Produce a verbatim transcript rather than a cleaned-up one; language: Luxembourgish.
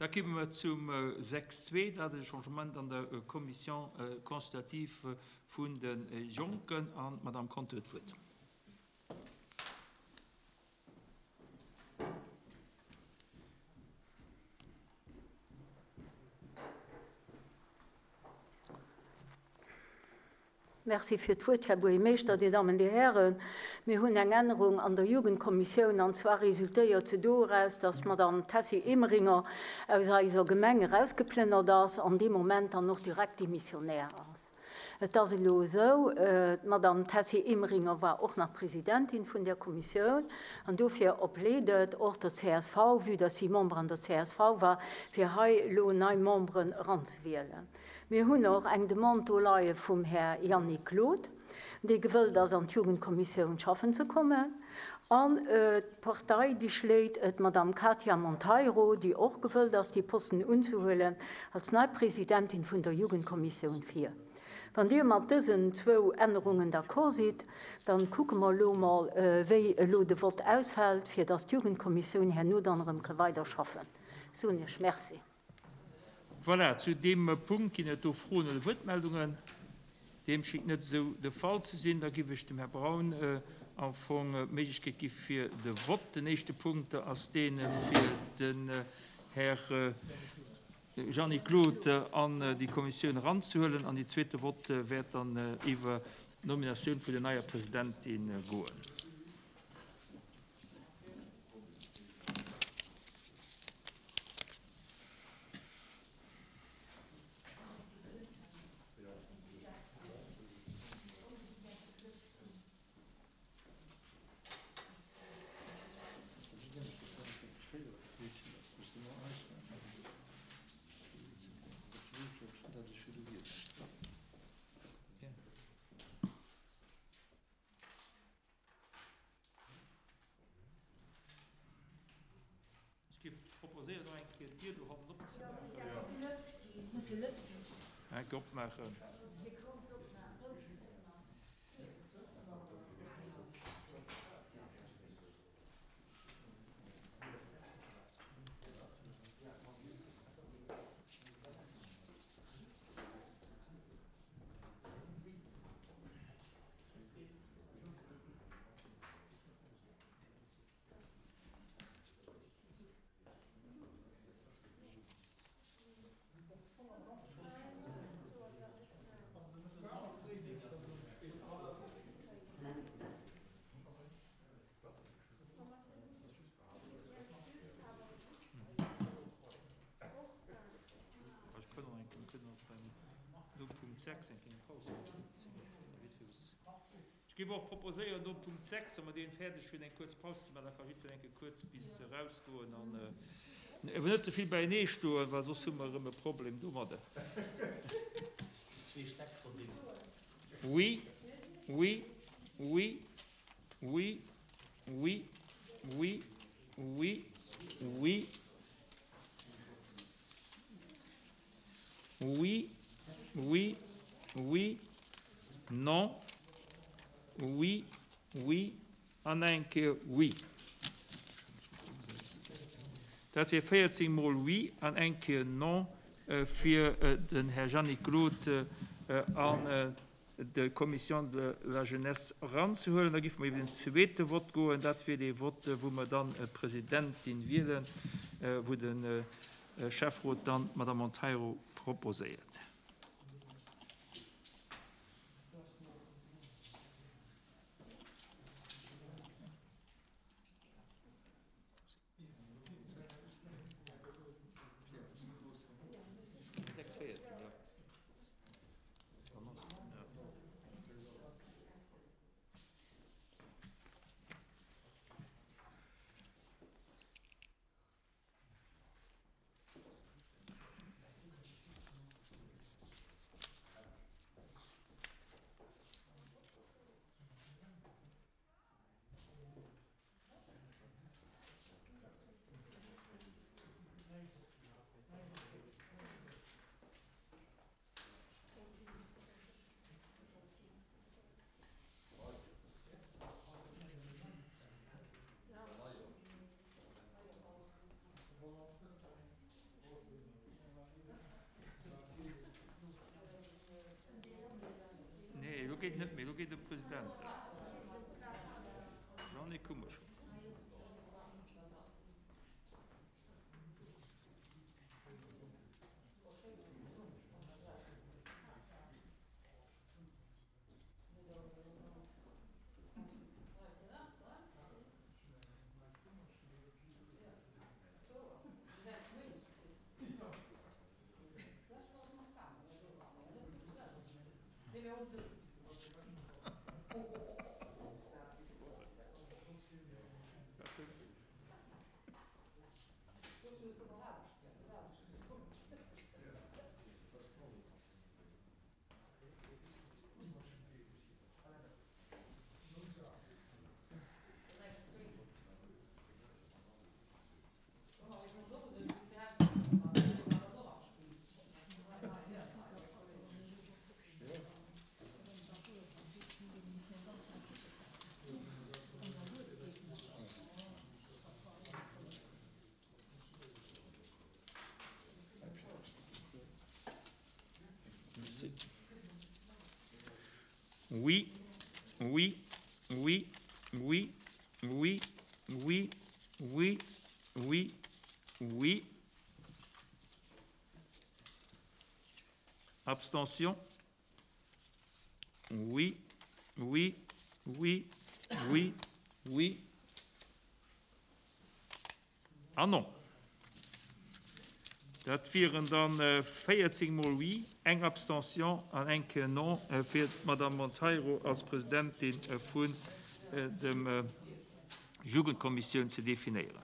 Da komme mer zum sechs zwee, dat ass e Changement an der Commission consultative vun de Jonken. An d'Madame Conter huet d'Wuert. Merci fir d'Wuert, Här Buergermeeschter, Dir Dammen, Dir Hären. Mir hunn eng Ännerung an der Jugendkommissioun, an zwar resultéiert se doraus, dass d'Madame Tessy Emeringer aus eiser Gemeng erausgeplënnert ass an dee Moment dann och direkt Demissionnaire ass. Et ass elo esou, d'Madame Tessy Emeringer war och nach Presidentin vun där Kommissioun, an dofir opleet et och der C S V, vue dass si Member an der C S V war, fir hei elo nei Memberen eranzewielen. Mir hunn och eng Demande do leie vum Här Yannick Claude, dee gewëllt ass, an d'Jugendkommissioun schaffen ze kommen. An d'Partei, déi schléit et d'Madame Katia Monteiro, déi och gewëllt ass, déi Posten unzehuelen, als nei Presidentin vun der Jugendkommissioun vir. Wann Dir mat dësen zwou Ännerungen d'accord sidd, dann kucke mer elo mol, wéi elo de Vott ausfält, fir dass d'Jugendkommissioun herno dann erëm ka weider schaffen. Soen Iech Merci. Voilà, zu deem Punkt ginn et do Froen oder Wuertmeldungen. Deem schéngt net esou de Fall ze sinn. Da giff ech dem Här Braun am Fong d'Méiglechkeet gi fir de Vott. Den éischte Punkt ass deen fir den Här Jean-Nic Claude an déi Kommissioun eranzehuelen. An déi zweete Vott wäert dann iwwer d'Nominatioun vun der neier Presidentin goen. Ech géif proposéieren, nach eng Kéier d'Dier do hannen opzemaachen. Eng Kéier opmaachen. Ech géif och proposéieren, no Punkt sechs, wa mer deen fäerdeg hunn, eng kuerz Paus ze maachen. Da ka jiddwereen eng Kéier kuerz bis erausgoen an awer net ze vill beienee stoen, well soss hu mer erëm e Problem domadder. Oui, oui, oui, oui, oui, oui, oui, oui, oui, oui, oui, non, oui, oui an eng Kéier oui. Dat wier véierzéng mol oui an eng Kéier non fir den Här Jeanny Claude an de Commission de la Jeunesse eranzehuelen. Da géife mer iwwer den zweete Vott goen. Dat wier dee Vott, wou mer dann d'Presidentin wielen, wou de Schäfferot dann d'Madame Monteiro proposéiert. geet net méi, elo geet de President. Jeanny Kummer. Oui, oui, oui, oui, oui, oui, oui, oui, oui. Abstention. Oui, oui, oui, oui, oui. Ah non. Dat wieren dann véierzéng mol Oui, eng Abstention an eng Kéier Non fir d'Madame Monteiro als Presidentin vun dem Jugendkommissioun ze definéieren.